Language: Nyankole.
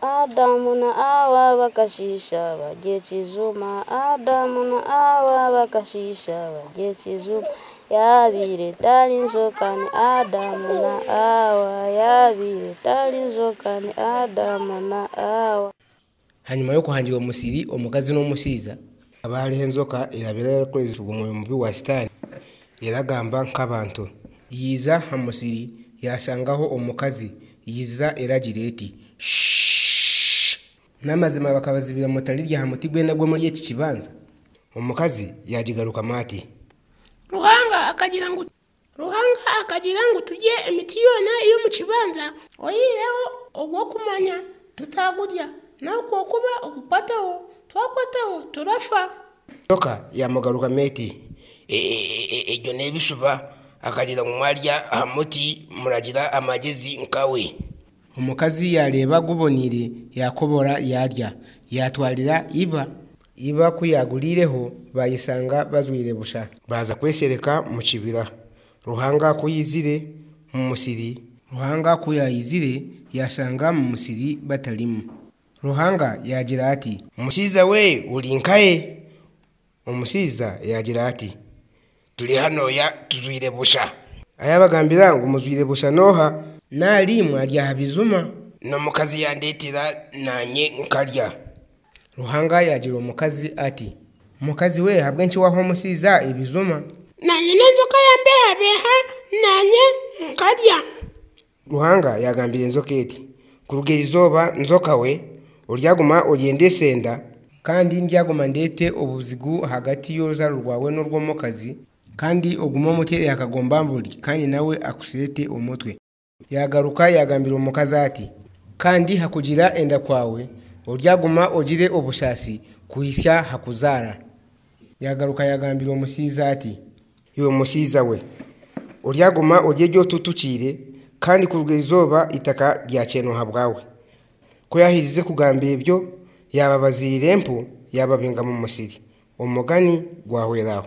Adamu na Awa bakashiisha barya ekijuma Adamu na Awa bakashiisha barya ekijuma Yaabaire etari njoka ni Adamu na Awa Yaabaire etari njoka ni Adamu na Awa. Hanyuma y'okuhangira omusiri omukazi n'omushaija. Hakaba hariho enjoka eyabaire erikukoresibwa omwoyo mubi wa sitaane eragamba nk'abantu. Yaija aha musiri yaashangaho omukazi, yaija eragira eti, Shh! N'amazima bakabazibira mutarirya aha muti gwena ogw'omuri eki kibanza? Omukazi yaagigarukamu ati. Ruhanga akagira ngu Ruhanga akagira ngu turye emiti yoona ey'omu kibanza, oyihireho ogw'okumanya tutagurya, n'ahabw'okuba ogukwataho twakwataho turafa. Enjoka yaamugarukamu eti, Ebyo n'ebishuba. Akagira ngu mwarya aha muti muragira amagyezi nkawe. Omukazi yaareeba guboneire, yaakobora yaarya, yaatwarira iba. Iba ku yaaguriireho, baayeshanga bajwaire busha. Baaza kweshereka mu kibira. Ruhanga ku yaizire mu musiri. Ruhanga ku yaizire, yaashanga mu musiri batarimu. Ruhanga yaagira ati. Mushaija we, ori nkahe? Omushaija yaagira ati, Turi hanoya tujwaire busha. Ayabagambira ngu mujwaire busha n'oha? Nari mwarya aha bijuma? N'omukazi yandeetera naanye nkarya. Ruhanga yaagira omukazi ati, Mukazi we, ahabw'enki waaha omushaija ebijuma? Naanye n'enjoka yambeehabeeha, naanye nkarya. Ruhanga yaagambira enjoka eti, Kuruga erizooba, njoka we, oryaguma oryendese enda. Kandi ndyaguma ndeete obuzigu ahagati y'oruzaaro rwawe n'orw'omukazi, kandi ogume omuteere aha kagombamburi, kandi nawe akusheete omutwe. Yaagaruka yaagambira omukazi ati, Kandi ha kugira enda kwawe oryaguma ogire obusaasi kuhitsya ha kuzaara. Yaagaruka yaagambira omushaija ati. Iwe mushaija we, oryaguma orye egi otutukiire, kandi kuruga eizooba eitaka ryakyenwa ahabwawe. Ku yaaherize kugamba ebyo, yaababaziira empu, yaababinga mu musiri. Omugani gwahwera aho.